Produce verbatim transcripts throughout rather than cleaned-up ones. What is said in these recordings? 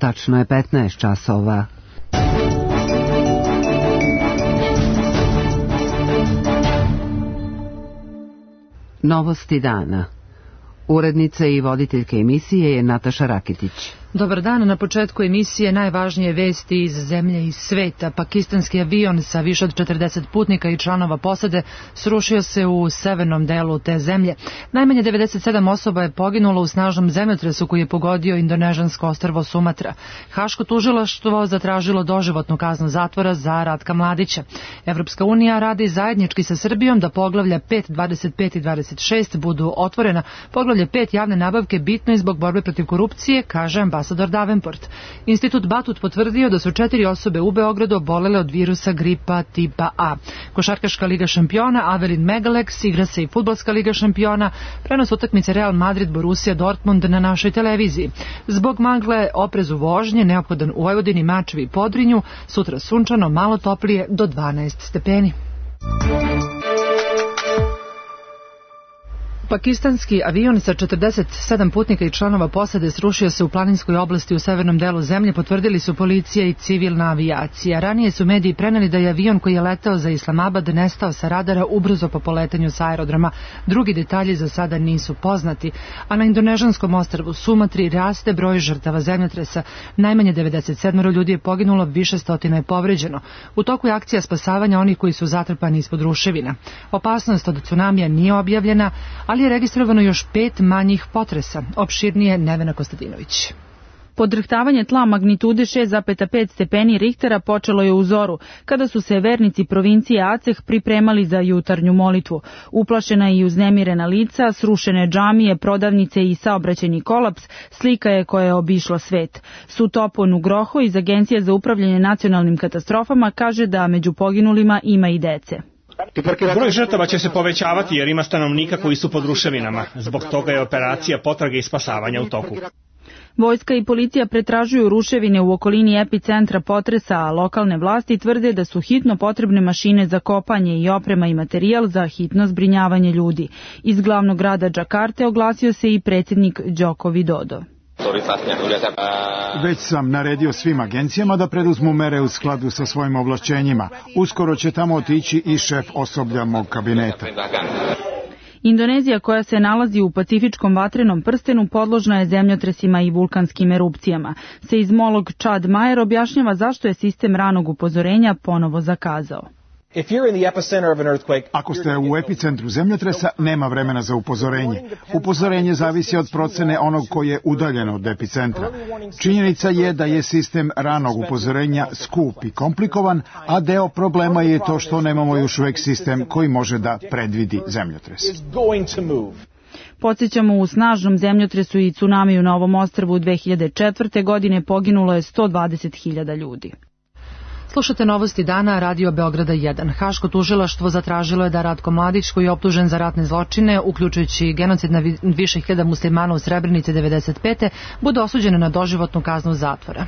Tačno je petnaest časova. Novosti dana. Urednica i voditeljka emisije je Nataša Rakitić. Dobar dan, na početku emisije najvažnije vesti iz zemlje i sveta. Pakistanski avion sa više od četrdeset putnika i članova posade srušio se u severnom delu te zemlje. Najmanje devedeset sedam osoba je poginulo u snažnom zemljotresu koji je pogodio indonežansko ostrvo Sumatra. Haško tužilaštvo zatražilo doživotnu kaznu zatvora za Ratka Mladića. Evropska unija radi zajednički sa Srbijom da poglavlja pet, dvadeset pet i dvadeset šest budu otvorena. Poglavlje pet javne nabavke bitno je zbog borbe protiv korupcije, kaže ambasador Davenport. Institut Batut potvrdio da su četiri osobe u Beogradu obolele od virusa gripa tipa A. Košarkaška liga šampiona Avelin Megalex, igra se i fudbalska liga šampiona, prenos utakmice Real Madrid Borussia Dortmund na našoj televiziji. Zbog magle, oprezu vožnje, neophodan u Vojvodini, Mačvi i Podrinju, sutra sunčano, malo toplije do dvanaest stepeni. Pakistanski avion sa četrdeset sedam putnika i članova posade srušio se u planinskoj oblasti u severnom delu zemlje, potvrdili su policija i civilna avijacija. Ranije su mediji preneli da je avion koji je leteo za Islamabad nestao sa radara ubrzo po poletanju sa aerodroma. Drugi detalji za sada nisu poznati, a na indonežanskom ostrvu Sumatri raste broj žrtava zemljotresa. Najmanje devedeset sedam ljudi je poginulo, više stotina je povređeno. U toku je akcija spasavanja onih koji su zatrpani ispod ruševina. Opasnost od tsunamija nije objavljena, ali je registrovano još pet manjih potresa. Opširnije Nevena Kostadinović. Podrhtavanje tla magnitude šest zarez pet stepeni Richtera počelo je u zoru, kada su se vernici provincije Aceh pripremali za jutarnju molitvu. Uplašena i uznemirena lica, srušene džamije, prodavnice i saobraćajni kolaps slika je koja je obišla svet. Sutopo Nugroho iz Agencije za upravljanje nacionalnim katastrofama kaže da među poginulima ima i dece. Broj žrtava će se povećavati jer ima stanovnika koji su pod ruševinama. Zbog toga je operacija potrage i spasavanja u toku. Vojska i policija pretražuju ruševine u okolini epicentra potresa, a lokalne vlasti tvrde da su hitno potrebne mašine za kopanje i oprema i materijal za hitno zbrinjavanje ljudi. Iz glavnog grada Džakarte oglasio se i predsjednik Joko Widodo. Već sam naredio svim agencijama da preduzmu mere u skladu sa svojim ovlašćenjima. Uskoro će tamo otići i šef osoblja mog kabineta. Indonezija, koja se nalazi u pacifičkom vatrenom prstenu, podložna je zemljotresima i vulkanskim erupcijama. Seizmolog Chad Mayer objašnjava zašto je sistem ranog upozorenja ponovo zakazao. Ako ste u epicentru zemljotresa, nema vremena za upozorenje. Upozorenje zavisi od procene onog koji je udaljen od epicentra. Činjenica je da je sistem ranog upozorenja skup i komplikovan, a deo problema je to što nemamo još uvek sistem koji može da predvidi zemljotres. Podsjećamo, u snažnom zemljotresu i tsunamiju na ovom ostrvu dve hiljade četvrte. godine poginulo je sto dvadeset hiljada ljudi. Slušate novosti dana, Radio Beograda jedan. Haško tužilaštvo zatražilo je da Ratko Mladić, koji je optužen za ratne zločine, uključujući genocid na više hiljada muslimana u Srebrenici devedeset pete. bude osuđen na doživotnu kaznu zatvora.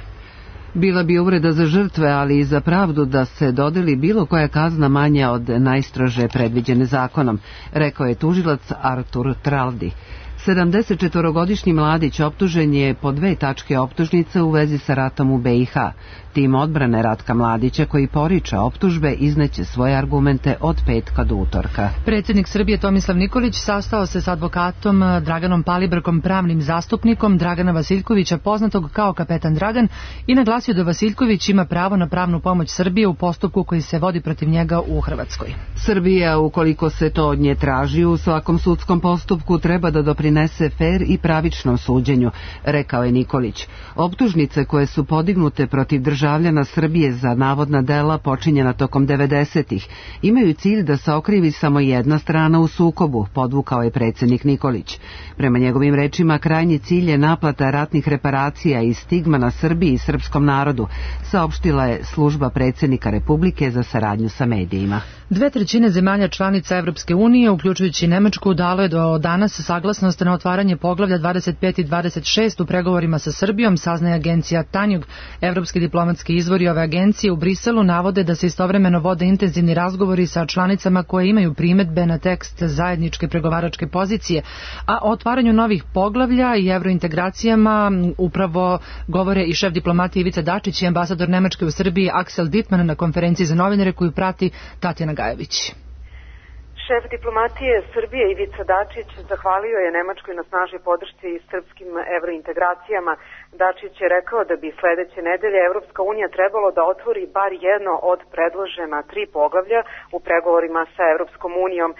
Bila bi uvreda za žrtve, ali i za pravdu da se dodeli bilo koja kazna manja od najstrože predviđene zakonom, rekao je tužilac Artur Traldi. sedamdesetčetvorogodišnji Mladić optužen je po dve tačke optužnice u vezi sa ratom u be i ha. Tim odbrane Ratka Mladića, koji poriče optužbe, izneće svoje argumente od petka do utorka. Predsjednik Srbije Tomislav Nikolić sastao se s advokatom Draganom Palibrkom, pravnim zastupnikom Dragana Vasiljkovića, poznatog kao Kapetan Dragan, i naglasio da Vasiljković ima pravo na pravnu pomoć Srbije u postupku koji se vodi protiv njega u Hrvatskoj. Srbija, ukoliko se to od nje traži u svakom sudskom postupku, treba da doprinese fer i pravičnom suđenju, rekao je Nikolić. Optužnice koje su podignute protiv državljana Srbije za navodna dela počinjena tokom devedesetih imaju cilj da se okrivi samo jedna strana u sukobu, podvukao je predsjednik Nikolić. Prema njegovim rečima, krajnji cilj je naplata ratnih reparacija i stigma na Srbiji i srpskom narodu, saopštila je služba predsjednika Republike za saradnju sa medijima. Dve trećine zemalja članica Evropske unije, uključujući Nemačku, dalo je do danas saglasnost na otvaranje poglavlja dvadeset pet i dvadeset šest u pregovorima sa Srbijom, saznaje agencija Tanjug. Evropski diplomatski izvori ove agencije u Briselu navode da se istovremeno vode intenzivni razgovori sa članicama koje imaju primedbe na tekst zajedničke pregovaračke pozicije, a o otvaranju novih poglavlja i evrointegracijama upravo govore i šef diplomatije Ivica Dačić i ambasador Nemačke u Srbiji Aksel Dittmann na konferenciji za novinare koju prati Tatjana Gajević. Šef diplomatije Srbije Ivica Dačić zahvalio je Nemačkoj na snažnoj podršci i srpskim evrointegracijama. Dačić je rekao da bi sledeće nedelje Evropska unija trebalo da otvori bar jedno od predložena tri poglavlja u pregovorima sa Evropskom unijom.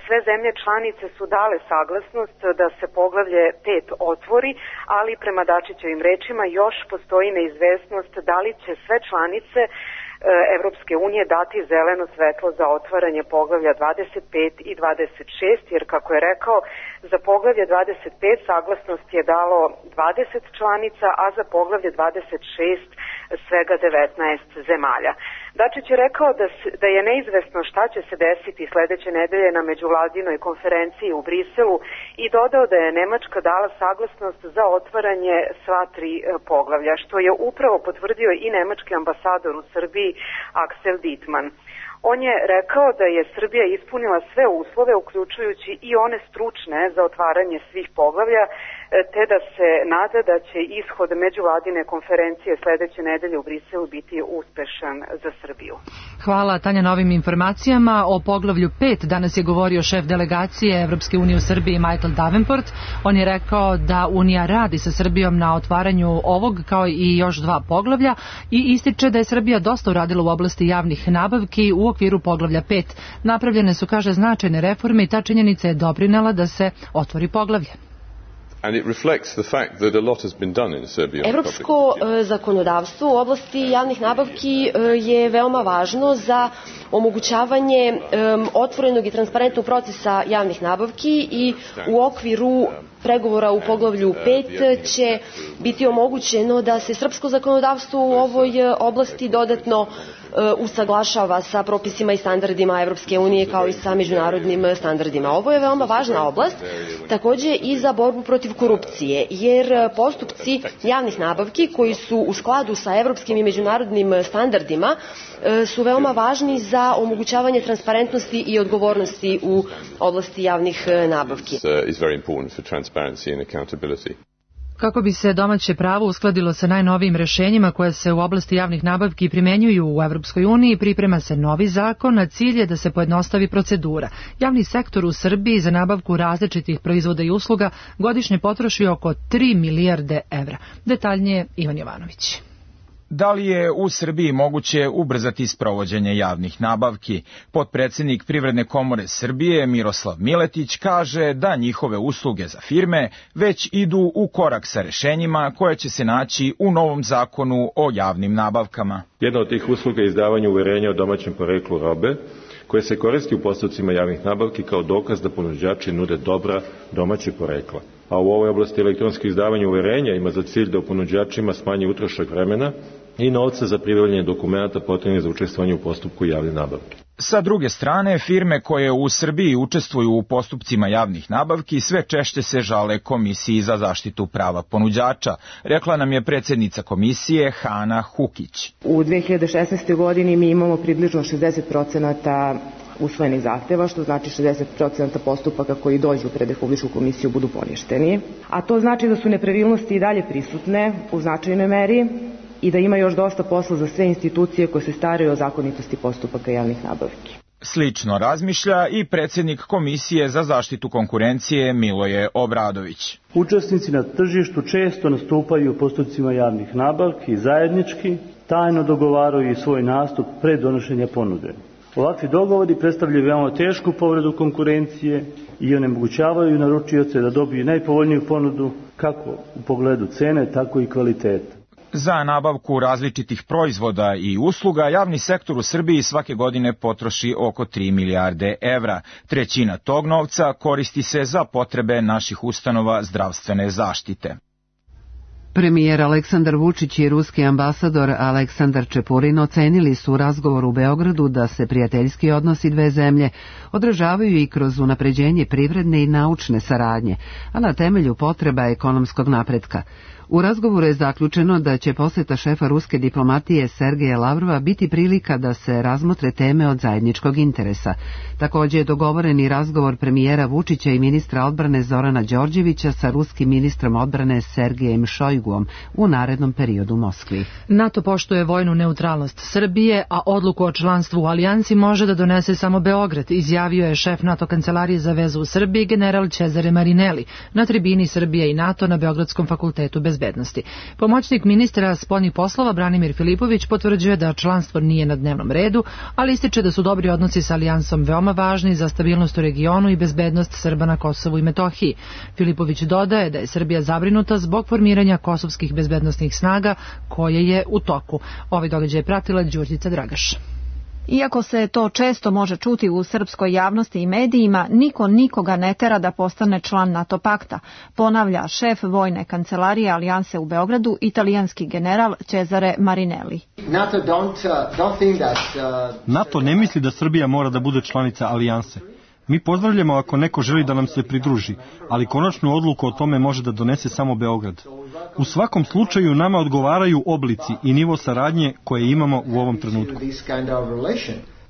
Sve zemlje članice su dale saglasnost da se poglavlje pet otvori, ali prema Dačićevim rečima još postoji neizvesnost da li će sve članice Evropske unije dati zeleno svetlo za otvaranje poglavlja dvadeset pet i dvadeset šest, jer kako je rekao, za poglavlje dvadeset pet saglasnost je dalo dvadeset članica, a za poglavlje dvadeset šest svega devetnaest zemalja. Dačić je rekao da, da je neizvesno šta će se desiti sledeće nedelje na međuvladinoj konferenciji u Briselu i dodao da je Nemačka dala saglasnost za otvaranje sva tri poglavlja, što je upravo potvrdio i nemački ambasador u Srbiji Aksel Dittmann. On je rekao da je Srbija ispunila sve uslove, uključujući i one stručne za otvaranje svih poglavlja, te da se nada da će ishod međuvladine konferencije sledeće nedelje u Briselu biti uspešan za Srbiju. Hvala Tanja na ovim informacijama. O poglavlju pet danas je govorio šef delegacije Evropske unije u Srbiji Michael Davenport. On je rekao da Unija radi sa Srbijom na otvaranju ovog kao i još dva poglavlja i ističe da je Srbija dosta uradila u oblasti javnih nabavki u okviru poglavlja pet. Napravljene su, kaže, značajne reforme i ta činjenica je doprinela da se otvori poglavlje. Evropsko zakonodavstvo u oblasti javnih nabavki je veoma važno za omogućavanje otvorenog i transparentnog procesa javnih nabavki i u okviru pregovora u poglavlju pet će biti omogućeno da se srpsko zakonodavstvo u ovoj oblasti dodatno usaglašava sa propisima i standardima Evropske unije kao i sa međunarodnim standardima. Ovo je veoma važna oblast, takođe i za borbu protiv korupcije, jer postupci javnih nabavki koji su u skladu sa evropskim i međunarodnim standardima su veoma važni za omogućavanje transparentnosti i odgovornosti u oblasti javnih nabavki. Kako bi se domaće pravo uskladilo sa najnovijim rešenjima koje se u oblasti javnih nabavki primenjuju u Evropskoj uniji, priprema se novi zakon, a cilj je da se pojednostavi procedura. Javni sektor u Srbiji za nabavku različitih proizvoda i usluga godišnje potroši oko tri milijarde evra. Detaljnije Ivan Jovanović. Da li je u Srbiji moguće ubrzati sprovođenje javnih nabavki? Potpredsednik Privredne komore Srbije Miroslav Miletić kaže da njihove usluge za firme već idu u korak sa rešenjima koje će se naći u novom zakonu o javnim nabavkama. Jedna od tih usluga je izdavanje uverenja o domaćem poreklu robe, koje se koristi u postupcima javnih nabavki kao dokaz da ponuđači nude dobra domaćeg porekla. A u ovoj oblasti elektronsko izdavanje uverenja ima za cilj da ponuđačima smanji utrošak vremena i novca za pribavljanje dokumenta potrebnih za učestvovanje u postupku javne nabavke. Sa druge strane, firme koje u Srbiji učestvuju u postupcima javnih nabavki sve češće se žale Komisiji za zaštitu prava ponuđača, rekla nam je predsjednica komisije Hana Hukić. U dve hiljade šesnaestoj. godini mi imamo približno šezdeset procenata usvojenih zahteva, što znači šezdeset procenata postupaka koji dođu pred Republičku komisiju budu poništeni. A to znači da su nepravilnosti i dalje prisutne u značajnoj meri i da ima još dosta posla za sve institucije koje se staraju o zakonitosti postupaka javnih nabavki. Slično razmišlja i predsjednik Komisije za zaštitu konkurencije Miloje Obradović. Učesnici na tržištu često nastupaju u postupcima javnih nabavki i zajednički, tajno dogovaraju svoj nastup pre donošenja ponude. Ovakvi dogovori predstavljaju veoma tešku povredu konkurencije i onemogućavaju naručioce da dobiju najpovoljniju ponudu kako u pogledu cene, tako i kvaliteta. Za nabavku različitih proizvoda i usluga javni sektor u Srbiji svake godine potroši oko tri milijarde evra. Trećina tog novca koristi se za potrebe naših ustanova zdravstvene zaštite. Premijer Aleksandar Vučić i ruski ambasador Aleksandar Čepurin ocenili su u razgovoru u Beogradu da se prijateljski odnosi dve zemlje odražavaju i kroz unapređenje privredne i naučne saradnje, a na temelju potreba ekonomskog napretka. U razgovoru je zaključeno da će poseta šefa ruske diplomatije Sergeja Lavrova biti prilika da se razmotre teme od zajedničkog interesa. Također je dogovoren i razgovor premijera Vučića i ministra odbrane Zorana Đorđevića sa ruskim ministrom odbrane Sergejem Šojguom u narednom periodu u Moskvi. NATO poštuje vojnu neutralnost Srbije, a odluku o članstvu u alijansi može da donese samo Beograd, izjavio je šef NATO kancelarije za vezu u Srbiji general Cezare Marinelli na tribini Srbije i NATO na Beogradskom fakultetu bezbednosti. Pomoćnik ministra spoljnih poslova Branimir Filipović potvrđuje da članstvo nije na dnevnom redu, ali ističe da su dobri odnosi sa alijansom veoma važni za stabilnost u regionu i bezbednost Srba na Kosovu i Metohiji. Filipović dodaje da je Srbija zabrinuta zbog formiranja kosovskih bezbednosnih snaga koje je u toku. Ovaj događaj je pratila Đurđica Dragaš. Iako se to često može čuti u srpskoj javnosti i medijima, niko nikoga ne tera da postane član NATO pakta, ponavlja šef vojne kancelarije alijanse u Beogradu, italijanski general Cezare Marinelli. NATO ne misli da Srbija mora da bude članica alijanse. Mi pozdravljamo ako neko želi da nam se pridruži, ali konačnu odluku o tome može da donese samo Beograd. U svakom slučaju nama odgovaraju oblici i nivo saradnje koje imamo u ovom trenutku.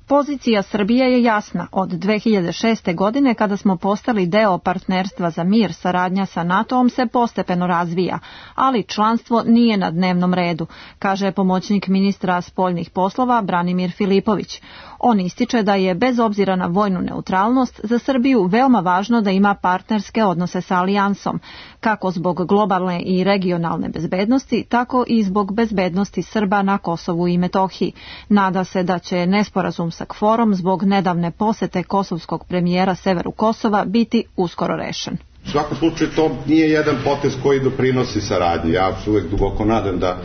Pozicija Srbije je jasna. Od dve hiljade šeste. godine, kada smo postali deo partnerstva za mir, saradnja sa NATO-om se postepeno razvija, ali članstvo nije na dnevnom redu, kaže pomoćnik ministra spoljnih poslova Branimir Filipović. On ističe da je, bez obzira na vojnu neutralnost, za Srbiju veoma važno da ima partnerske odnose sa alijansom, kako zbog globalne i regionalne bezbednosti, tako i zbog bezbednosti Srba na Kosovu i Metohiji. Nada se da će nesporazum sa K F O R-om zbog nedavne posete kosovskog premijera severu Kosova biti uskoro rešen. U svakom slučaju to nije jedan potez koji doprinosi saradnji. Ja se uvek duboko nadam da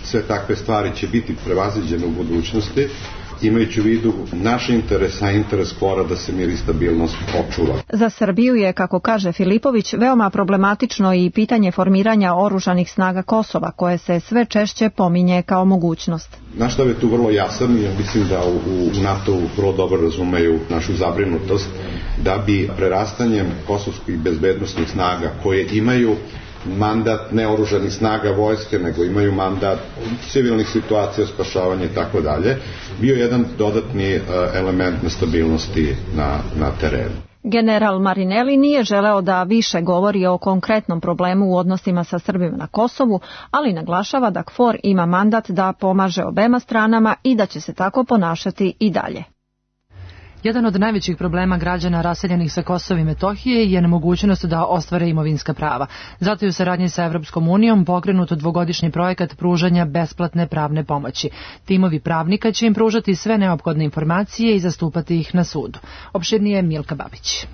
sve takve stvari će biti prevaziđene u budućnosti, imajući u vidu naš interes, a interes K F O R-a da se mir i stabilnost očuva. Za Srbiju je, kako kaže Filipović, veoma problematično i pitanje formiranja oružanih snaga Kosova, koje se sve češće pominje kao mogućnost. Naš stav je tu vrlo jasan i ja mislim da u, u NATO-u vrlo dobro razumeju našu zabrinutost da bi prerastanjem kosovskih bezbednosnih snaga koje imaju mandat ne oružanih snaga vojske, nego imaju mandat civilnih situacija, spašavanja i tako dalje, bio jedan dodatni element nestabilnosti na, na terenu. General Marinelli nije želeo da više govori o konkretnom problemu u odnosima sa Srbima na Kosovu, ali naglašava da K F O R ima mandat da pomaže obema stranama i da će se tako ponašati i dalje. Jedan od najvećih problema građana raseljenih sa Kosova i Metohije je nemogućnost da ostvare imovinska prava. Zato je u saradnji sa Evropskom unijom pokrenut dvogodišnji projekat pružanja besplatne pravne pomoći. Timovi pravnika će im pružati sve neophodne informacije i zastupati ih na sudu. Opširnije Milka Babić.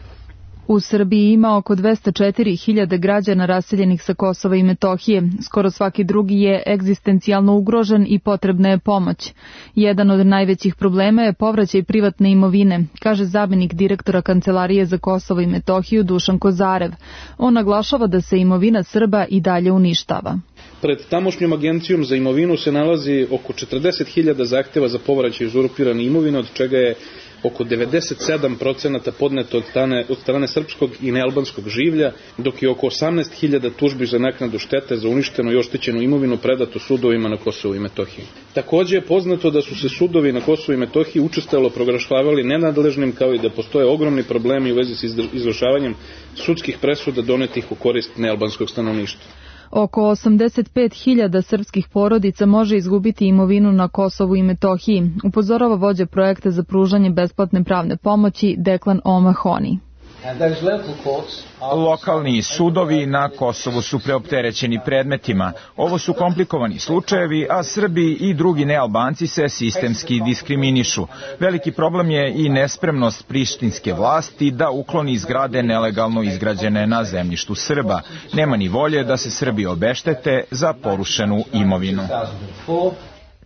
U Srbiji ima oko dvesta četiri hiljade građana raseljenih sa Kosova i Metohije. Skoro svaki drugi je egzistencijalno ugrožen i potrebna je pomoć. Jedan od najvećih problema je povraćaj privatne imovine, kaže zamenik direktora Kancelarije za Kosovo i Metohiju Dušan Kozarev. On naglašava da se imovina Srba i dalje uništava. Pred tamošnjom agencijom za imovinu se nalazi oko četrdeset hiljada zahteva za povraćaj uzurpirane imovine, od čega je oko devedeset sedam procenata podneto od strane, od strane srpskog i nealbanskog življa, dok je oko osamnaest hiljada tužbi za naknadu štete za uništenu i oštećenu imovinu predato sudovima na Kosovu i Metohiji. Takođe je poznato da su se sudovi na Kosovu i Metohiji učestalo proglašavali nenadležnim, kao i da postoje ogromni problemi u vezi s izvršavanjem sudskih presuda donetih u korist nealbanskog stanovništva. Oko osamdeset pet hiljada srpskih porodica može izgubiti imovinu na Kosovu i Metohiji, upozorava vođa projekta za pružanje besplatne pravne pomoći Deklan O'Mahony. Lokalni sudovi na Kosovu su preopterećeni predmetima. Ovo su komplikovani slučajevi, a Srbi i drugi nealbanci se sistemski diskriminišu. Veliki problem je i nespremnost prištinske vlasti da ukloni zgrade nelegalno izgrađene na zemljištu Srba. Nema ni volje da se Srbi obeštete za porušenu imovinu.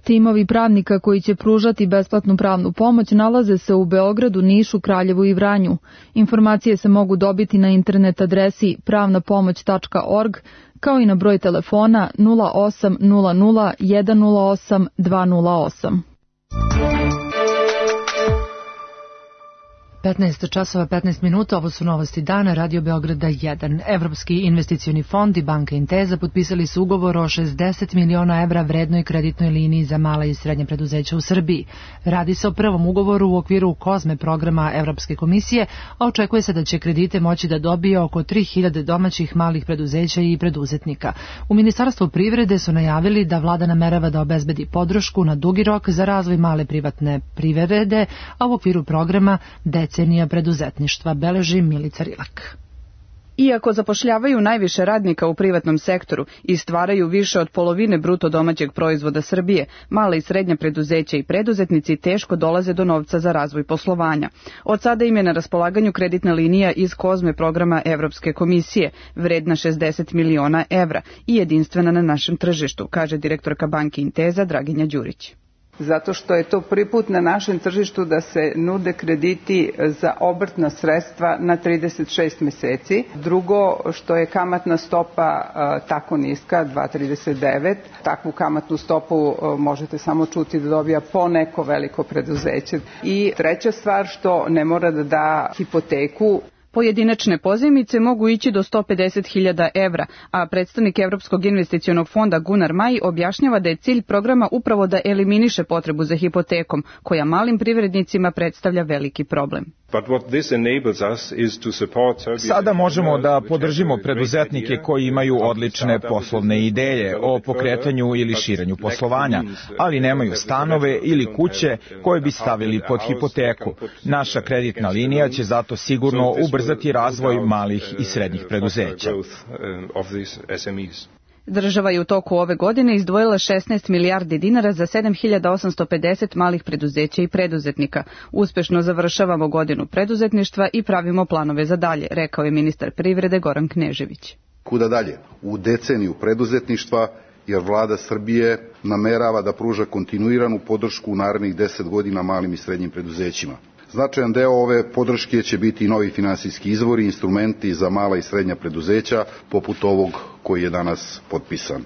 Timovi pravnika koji će pružati besplatnu pravnu pomoć nalaze se u Beogradu, Nišu, Kraljevu i Vranju. Informacije se mogu dobiti na internet adresi pravna pomoć tačka org, kao i na broj telefona nula osam nula nula jedan nula osam dva nula osam. petnaest časova petnaest minuta, ovo su novosti dana, Radio Beograda jedan. Evropski investicioni fond i banka Intesa potpisali su ugovor o šezdeset miliona evra vrednoj kreditnoj liniji za mala i srednje preduzeća u Srbiji. Radi se o prvom ugovoru u okviru Kozme programa Evropske komisije, a očekuje se da će kredite moći da dobije oko tri hiljade domaćih malih preduzeća i preduzetnika. U Ministarstvu privrede su najavili da vlada namerava da obezbedi podršku na dugi rok za razvoj male privatne privrede, a u okviru programa decenija preduzetništva, beleži Milica Rilak. Iako zapošljavaju najviše radnika u privatnom sektoru i stvaraju više od polovine bruto domaćeg proizvoda Srbije, mala i srednja preduzeća i preduzetnici teško dolaze do novca za razvoj poslovanja. Od sada im je na raspolaganju kreditna linija iz Kozme programa Evropske komisije, vredna šezdeset miliona evra i jedinstvena na našem tržištu, kaže direktorka banke Intesa Draginja Đurić. Zato što je to prvi put na našem tržištu da se nude krediti za obrtna sredstva na trideset šest meseci. Drugo, što je kamatna stopa a, tako niska, dva zarez trideset devet. Takvu kamatnu stopu a, možete samo čuti da dobija po neko veliko preduzeće. I treća stvar, što ne mora da da hipoteku. Pojedinačne pozajmice mogu ići do sto pedeset hiljada evra, a predstavnik Evropskog investicionog fonda Gunnar Maj objašnjava da je cilj programa upravo da eliminiše potrebu za hipotekom, koja malim privrednicima predstavlja veliki problem. Sada možemo da podržimo preduzetnike koji imaju odlične poslovne ideje o pokretanju ili širenju poslovanja, ali nemaju stanove ili kuće koje bi stavili pod hipoteku. Naša kreditna linija će zato sigurno ubrzati razvoj malih i srednjih preduzeća. Država je u toku ove godine izdvojila šesnaest milijardi dinara za sedam hiljada osamsto pedeset malih preduzeća i preduzetnika. Uspešno završavamo godinu preduzetništva i pravimo planove za dalje, rekao je ministar privrede Goran Knežević. Kuda dalje? U deceniju preduzetništva, jer vlada Srbije namerava da pruža kontinuiranu podršku u narednih deset godina malim i srednjim preduzećima. Značajan deo ove podrške će biti i novi finansijski izvori i instrumenti za mala i srednja preduzeća, poput ovog koji je danas potpisan.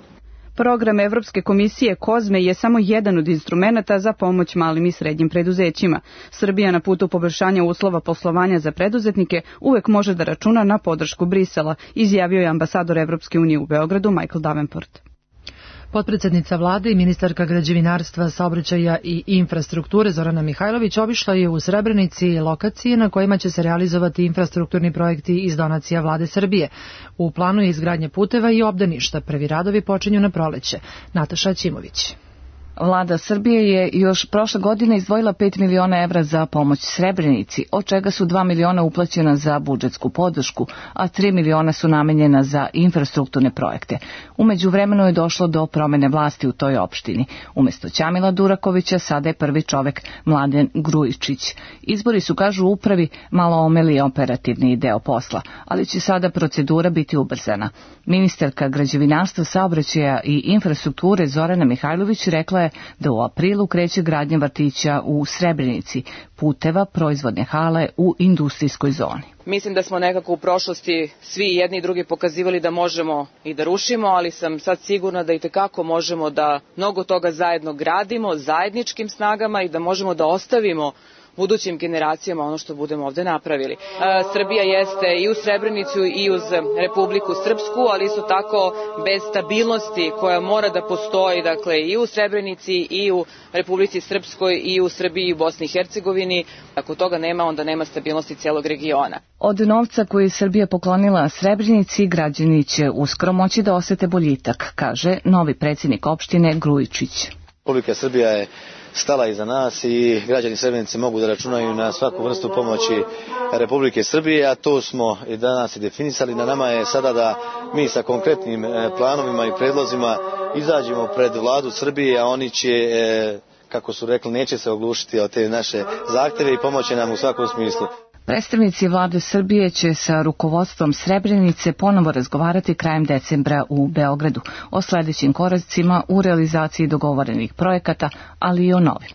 Program Evropske komisije Kozme je samo jedan od instrumenata za pomoć malim i srednjim preduzećima. Srbija na putu poboljšanja uslova poslovanja za preduzetnike uvek može da računa na podršku Brisela, izjavio je ambasador Evropske unije u Beogradu Michael Davenport. Potpredsednica vlade i ministarka građevinarstva, saobraćaja i infrastrukture Zorana Mihajlović obišla je u Srebrenici lokacije na kojima će se realizovati infrastrukturni projekti iz donacija vlade Srbije. U planu je izgradnja puteva i obdaništa. Prvi radovi počinju na proleće. Nataša Ćimović. Vlada Srbije je još prošle godine izdvojila pet miliona evra za pomoć Srebrenici, od čega su dva miliona uplaćena za budžetsku podršku, a tri miliona su namenjena za infrastrukturne projekte. Umeđu vremenu je došlo do promene vlasti u toj opštini. Umesto Ćamila Durakovića sada je prvi čovek Mladen Grujičić. Izbori su, kažu u upravi, malo omeli operativni deo posla, ali će sada procedura biti ubrzana. Ministarka građevinarstva, saobraćaja i infrastrukture Zorana Mihajlović rekla je da u aprilu kreće gradnja vrtića u Srebrenici, puteva, proizvodne hale u industrijskoj zoni. Mislim da smo nekako u prošlosti svi jedni i drugi pokazivali da možemo i da rušimo, ali sam sad sigurna da i tekako možemo da mnogo toga zajedno gradimo, zajedničkim snagama i da možemo da ostavimo budućim generacijama ono što budemo ovde napravili. E, Srbija jeste i uz Srebrenicu i uz Republiku Srpsku, ali isto tako bez stabilnosti koja mora da postoji, dakle i u Srebrenici i u Republici Srpskoj i u Srbiji i u Bosni i Hercegovini. Ako toga nema, onda nema stabilnosti cijelog regiona. Od novca koji je Srbija poklonila Srebrenici, građani će uskoro moći da osete boljitak, kaže novi predsjednik opštine Grujičić. Republika Srbija je stala iza nas i građani Srebrenice mogu da računaju na svaku vrstu pomoći Republike Srbije, a to smo i danas i definisali. Na nama je sada da mi sa konkretnim planovima i predlozima izađemo pred vladu Srbije, a oni će, kako su rekli, neće se oglušiti od te naše zahteve i pomoći nam u svakom smislu. Predstavnici vlade Srbije će sa rukovodstvom Srebrenice ponovo razgovarati krajem decembra u Beogradu o sledećim koracima u realizaciji dogovorenih projekata, ali i o novim.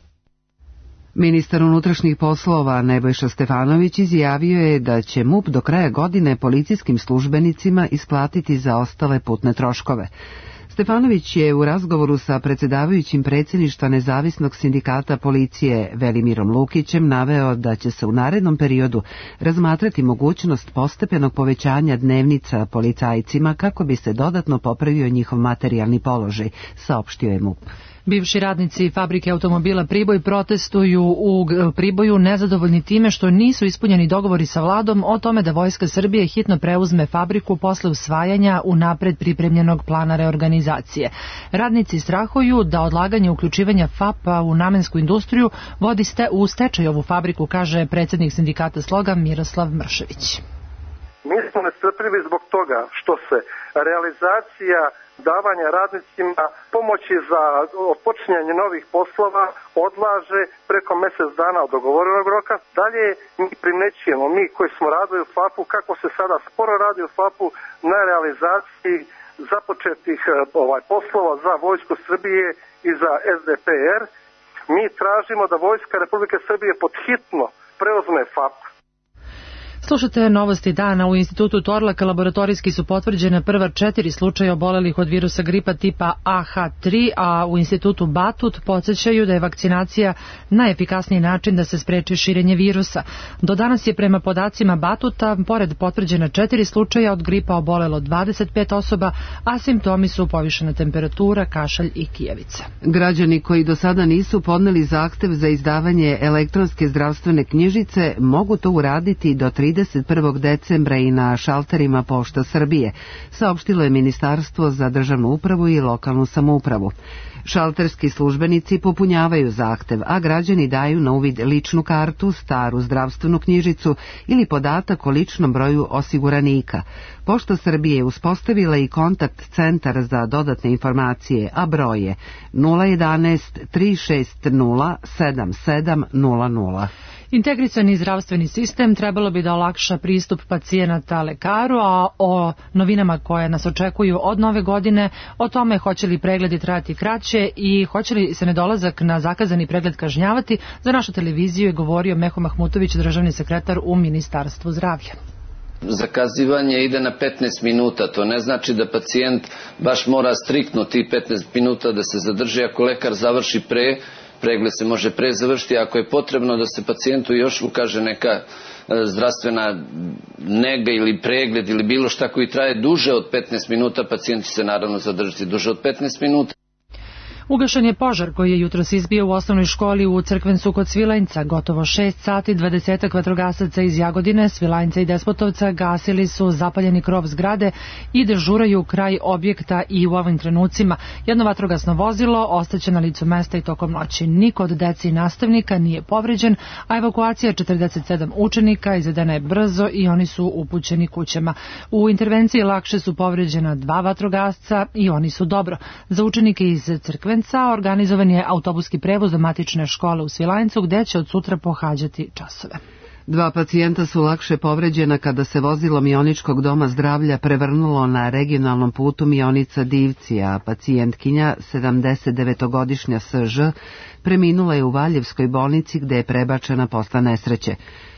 Ministar unutrašnjih poslova Nebojša Stefanović izjavio je da će M U P do kraja godine policijskim službenicima isplatiti zaostale putne troškove. Stefanović je u razgovoru sa predsjedavajućim predsjedništva Nezavisnog sindikata policije Velimirom Lukićem naveo da će se u narednom periodu razmatrati mogućnost postepenog povećanja dnevnica policajcima kako bi se dodatno popravio njihov materijalni položaj, saopštio je M U P. Bivši radnici fabrike automobila Priboj protestuju u Priboju nezadovoljni time što nisu ispunjeni dogovori sa vladom o tome da Vojska Srbije hitno preuzme fabriku posle usvajanja unapred pripremljenog plana reorganizacije. Radnici strahuju da odlaganje uključivanja F A P-a u namensku industriju vodi ste u stečaj ovu fabriku, kaže predsjednik sindikata Sloga Miroslav Mršević. Mi smo nestrpljivi zbog toga što se realizacija davanja radnicima pomoći za počinjanje novih poslova odlaže preko mjesec dana od dogovorenog roka. Dalje mi primećujemo, mi koji smo radili u F A P-u, kako se sada sporo radi u F A P-u na realizaciji započetih ovaj, poslova za Vojsku Srbije i za S D P R. Mi tražimo da Vojska Republike Srbije podhitno preuzme F A P. Slušate novosti dana. U institutu Torlak laboratorijski su potvrđene prva četiri slučaja obolelih od virusa gripa tipa A H tri, a u institutu Batut podsjećaju da je vakcinacija najefikasniji način da se spreči širenje virusa. Do danas je prema podacima Batuta, pored potvrđena četiri slučaja od gripa obolelo dvadeset pet osoba, a simptomi su povišena temperatura, kašalj i kijevica. Građani koji do sada nisu podneli zahtev za izdavanje elektronske zdravstvene knjižice mogu to uraditi do trideset prvog decembra i na šalterima Pošta Srbije, saopštilo je Ministarstvo za državnu upravu i lokalnu samoupravu. Šalterski službenici popunjavaju zahtev, a građani daju na uvid ličnu kartu, staru zdravstvenu knjižicu ili podatak o ličnom broju osiguranika. Pošta Srbije je uspostavila i kontakt centar za dodatne informacije, a broj je nula jedanaest tri šest nula sedam sedam nula nula. Integrisani zdravstveni sistem trebalo bi da olakša pristup pacijenata lekaru, a o novinama koje nas očekuju od nove godine, o tome hoće li pregledi trajati kraće i hoće li se nedolazak na zakazani pregled kažnjavati, za našu televiziju je govorio Meho Mahmutović, državni sekretar u Ministarstvu zdravlja. Zakazivanje ide na petnaest minuta, to ne znači da pacijent baš mora striktno ti petnaest minuta da se zadrži. Ako lekar završi pre, pregled se može pre završiti. Ako je potrebno da se pacijentu još ukaže neka zdravstvena nega ili pregled ili bilo šta koji traje duže od petnaest minuta, pacijent će se naravno zadržati duže od petnaest minuta. Ugašen je požar koji je jutros izbio u osnovnoj školi u Crkvencu kod Svilajnca. Gotovo šest sati dvadesetak vatrogasaca iz Jagodine, Svilajnca i Despotovca gasili su zapaljeni krov zgrade i dežuraju kraj objekta i u ovim trenucima. Jedno vatrogasno vozilo ostaće na licu mesta i tokom noći. Niko od dece i nastavnika nije povređen, a evakuacija četrdeset sedam učenika izvedena je brzo i oni su upućeni kućama. U intervenciji lakše su povređena dva vatrogasca i oni su dobro. Za učenike iz Crkvenca organizovan je autobuski prevoz do matične škole u Svilajncu gde će od sutra pohađati časove. Dva pacijenta su lakše povređena kada se vozilo Mioničkog doma zdravlja prevrnulo na regionalnom putu Mionica-Divci, a pacijentkinja, sedamdesetdevetogodišnja S Ž, preminula je u Valjevskoj bolnici gde je prebačena posle nesreće.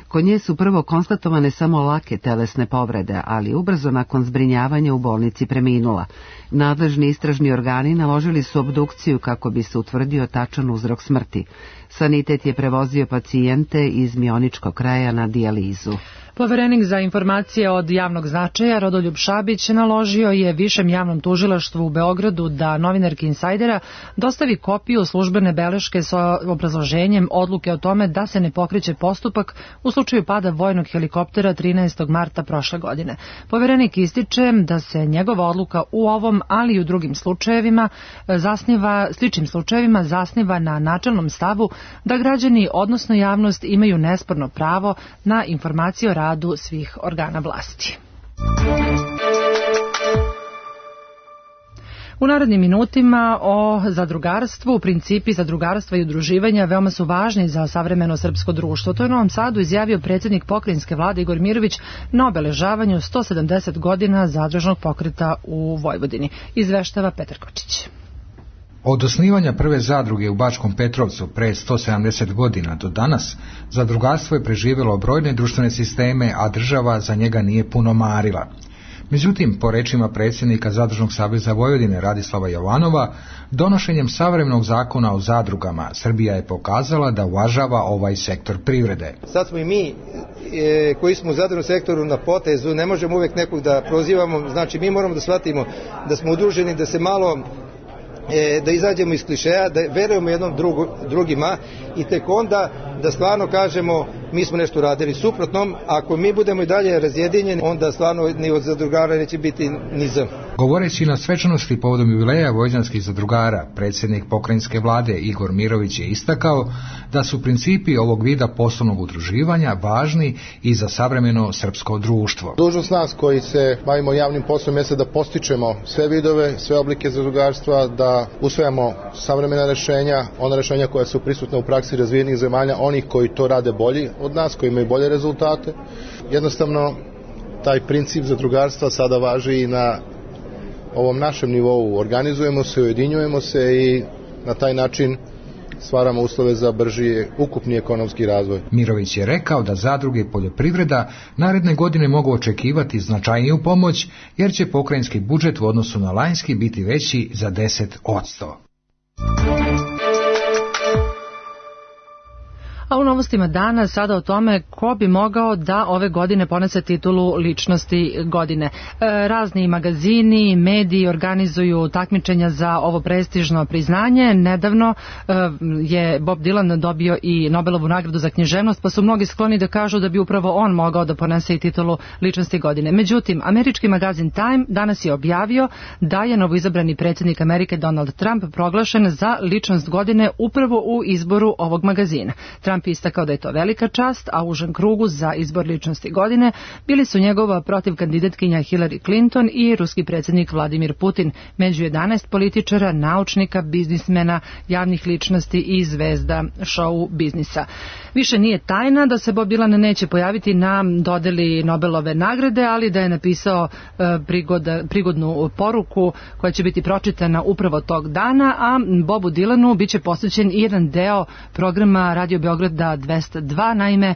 Kod nje su prvo konstatovane samo lake telesne povrede, ali ubrzo nakon zbrinjavanja u bolnici preminula. Nadležni istražni organi naložili su obdukciju kako bi se utvrdio tačan uzrok smrti. Sanitet je prevozio pacijente iz Mioničkog kraja na dijalizu. Poverenik za informacije od javnog značaja Rodoljub Šabić naložio je Višem javnom tužilaštvu u Beogradu da novinarki Insajdera dostavi kopiju službene beleške sa obrazloženjem odluke o tome da se ne pokreće postupak u slučaju pada vojnog helikoptera trinaestog marta prošle godine. Poverenik ističe da se njegova odluka u ovom, ali i u drugim slučajevima zasniva, sličnim slučajevima zasniva na načelnom stavu da građani, odnosno javnost, imaju nesporno pravo na informacije o radu svih organa vlasti. U narednim minutima o zadrugarstvu, principi zadrugarstva i udruživanja veoma su važni za savremeno srpsko društvo. To je u Novom Sadu izjavio predsjednik pokrajinske vlade Igor Mirović na obeležavanju sto sedamdeset godina zadružnog pokreta u Vojvodini. Izveštava Petar Kočić. Od osnivanja prve zadruge u Bačkom Petrovcu pre sto sedamdeset godina do danas, zadrugarstvo je preživjelo brojne društvene sisteme, a država za njega nije puno marila. Međutim, po rečima predsjednika Zadružnog saveza Vojvodine Radislava Jovanova, donošenjem savremenog zakona o zadrugama Srbija je pokazala da uvažava ovaj sektor privrede. Sad smo i mi e, koji smo u zadružnom sektoru na potezu, ne možemo uvijek nekog da prozivamo, znači mi moramo da shvatimo da smo udruženi, da se malo e, da izađemo iz klišeja, da verujemo jednom drugu, drugima i tek onda da stvarno kažemo mi smo nešto radili. Suprotnom, ako mi budemo i dalje razjedinjeni, onda stvarno ni od zadrugara neće biti ni z. Govoreći na svečanosti povodom jubileja vojvođanskih zadrugara, predsjednik pokrajinske vlade Igor Mirović je istakao da su principi ovog vida poslovnog udruživanja važni i za savremeno srpsko društvo. Dužnost nas koji se bavimo javnim poslom jeste da postičemo sve vidove, sve oblike zadrugarstva, da usvajamo savremena rešenja, ona rešenja koja su prisutna u praksi razvijenih zemalja, onih koji to rade bolji od nas, koji imaju bolje rezultate. Jednostavno, taj princip zadrugarstva sada važi i na ovom našem nivou. Organizujemo se, ujedinjujemo se i na taj način stvaramo uslove za brži ukupni ekonomski razvoj. Mirović je rekao da zadruge i poljoprivreda naredne godine mogu očekivati značajniju pomoć, jer će pokrajinski budžet u odnosu na lanjski biti veći za deset posto. A u novostima dana sada o tome ko bi mogao da ove godine ponese titulu ličnosti godine. E, razni magazini, mediji organizuju takmičenja za ovo prestižno priznanje. Nedavno e, je Bob Dylan dobio i Nobelovu nagradu za književnost, pa su mnogi skloni da kažu da bi upravo on mogao da ponese i titulu ličnosti godine. Međutim, američki magazin Time danas je objavio da je novoizabrani predsjednik Amerike Donald Trump proglašen za ličnost godine upravo u izboru ovog magazina. Trump istakao da je to velika čast, a u užem krugu za izbor ličnosti godine bili su njegova protiv kandidatkinja Hillary Clinton i ruski predsjednik Vladimir Putin, među jedanaest političara, naučnika, biznismena, javnih ličnosti i zvezda show biznisa. Više nije tajna da se Bob Dylan neće pojaviti na dodeli Nobelove nagrade, ali da je napisao e, prigoda, prigodnu poruku koja će biti pročitana upravo tog dana, a Bobu Dylanu biće posvećen i jedan deo programa Radio Beograda dvesta dva. Naime,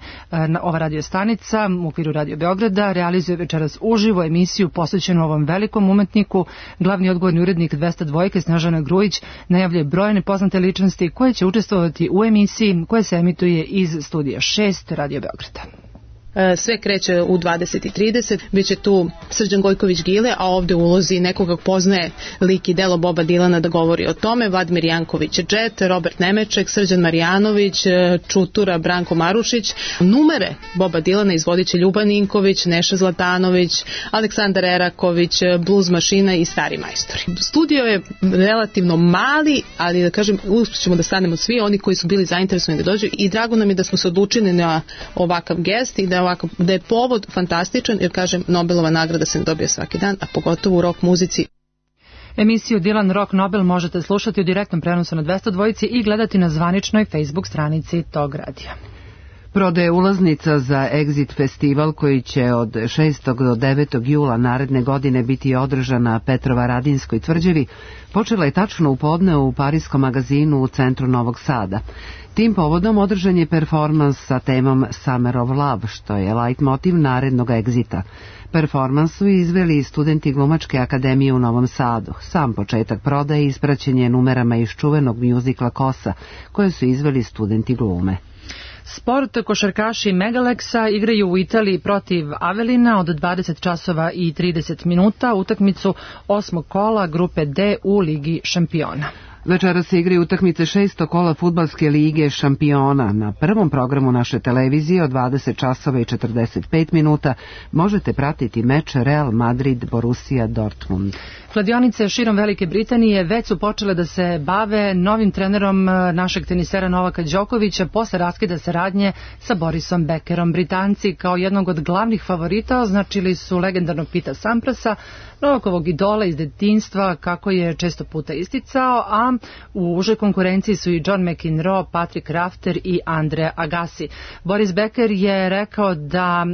ova radiostanica u okviru Radio Beograda realizuje večeras uživo emisiju posvećenu ovom velikom umetniku. Glavni odgovorni urednik dvesta dva Snežana Grujić najavljuje brojne poznate ličnosti koje će učestvovati u emisiji koja se emituje iz studija šest Radio Beograda. Sve kreće u dvadeset i trideset, biće tu Srđan Gojković-Gile, a ovde u ulozi nekoga poznaje lik i delo Boba Dylana da govori o tome, Vladimir Janković Džet, Robert Nemeček, Srđan Marjanović, Čutura, Branko Marušić. Numere Boba Dylana izvodit će Ljuban Ninković, Neša Zlatanović, Aleksandar Eraković, Blues mašina i Stari majstori. Studio je relativno mali, ali da kažem, uspjećemo da stanemo svi oni koji su bili zainteresovani da dođu i drago nam je da smo se odlučili na ovakav gest i da ovako, da je povod fantastičan, jer kažem, Nobelova nagrada se ne dobija svaki dan, a pogotovo u rock muzici. Emisiju Dylan Rock Nobel možete slušati u direktnom prenosu na dvesta dva i gledati na zvaničnoj Facebook stranici tog radija. Prodaje ulaznica za Exit festival koji će od šestog do devetog jula naredne godine biti održan na Petrovaradinskoj tvrđavi počela je tačno u podne u pariskom magazinu u centru Novog Sada. Tim povodom održan je performans sa temom Summer of Love, što je leitmotiv narednog Exita. Performans su izveli studenti Glumačke akademije u Novom Sadu. Sam početak prodaje ispraćen je numerama iz čuvenog mjuzikla Kosa, koje su izveli studenti glume. Sport, košarkaši Megaleksa igraju u Italiji protiv Avelina od dvadeset časova i trideset minuta utakmicu osmog kola grupe D u Ligi šampiona. Večera se igraju utakmice šestog kola fudbalske lige šampiona. Na prvom programu naše televizije od dvadeset časova i četrdeset pet minuta možete pratiti meč Real Madrid-Borussia Dortmund. Kladionice širom Velike Britanije već su počele da se bave novim trenerom našeg tenisera Novaka Đokovića posle raskida saradnje sa Borisom Beckerom. Britanci kao jednog od glavnih favorita označili su legendarnog Pita Samprasa, Novakovog idola iz detinjstva, kako je često puta isticao, a dva. U užoj konkurenciji su i John McEnroe, Patrick Rafter i Andre Agassi. Boris Becker je rekao da,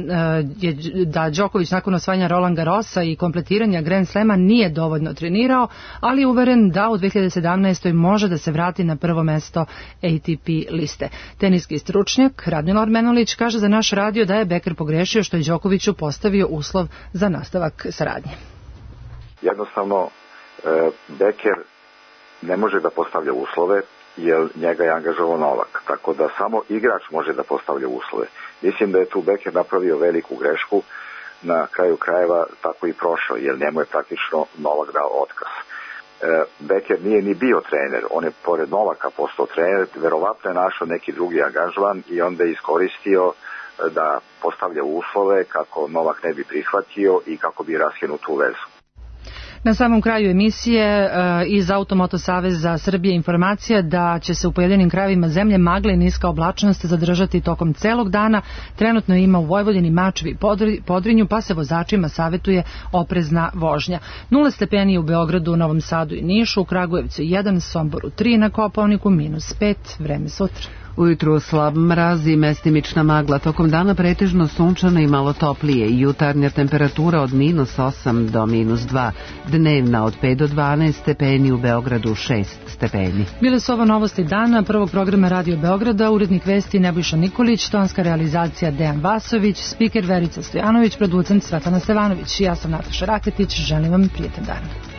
je, da Đoković nakon osvajanja Roland Garrosa i kompletiranja Grand Slema nije dovoljno trenirao, ali je uveren da u dve hiljade sedamnaestoj može da se vrati na prvo mesto A T P liste. Teniski stručnjak Radmila Ormenović kaže za naš radio da je Becker pogrešio što je Đokoviću postavio uslov za nastavak saradnje. Jednostavno, Becker ne može da postavlja uslove jer njega je angažovao Novak, tako da samo igrač može da postavlja uslove. Mislim da je tu Becker napravio veliku grešku, na kraju krajeva tako i prošao, jer njemu je praktično Novak dao otkaz. Becker nije ni bio trener, on je pored Novaka postao trener, verovatno je našao neki drugi angažman i onda je iskoristio da postavlja uslove kako Novak ne bi prihvatio i kako bi raskinuo tu vezu. Na samom kraju emisije iz Automoto Saveza Srbije informacija da će se u pojedinim krajevima zemlje magle i niska oblačnost zadržati tokom celog dana. Trenutno ima u Vojvodini, Mačvi i Podrinju, pa se vozačima savetuje oprezna vožnja. Nula stepeni u Beogradu, Novom Sadu i Nišu, u Kragujevcu jedan, Somboru tri, na Kopaoniku minus pet, vreme sutra. Ujutru slab mraz i mestimična magla, tokom dana pretežno sunčano i malo toplije, jutarnja temperatura od minus osam do minus dva, dnevna od pet do dvanaest stepeni, u Beogradu šest stepeni. Bile su ovo novosti dana prvog programa Radio Beograda, urednik vesti Nebojša Nikolić, tonska realizacija Dejan Vasović, spiker Verica Stojanović, producent Svetlana Stevanović. Ja sam Nataša Raketić, želim vam prijetan dan.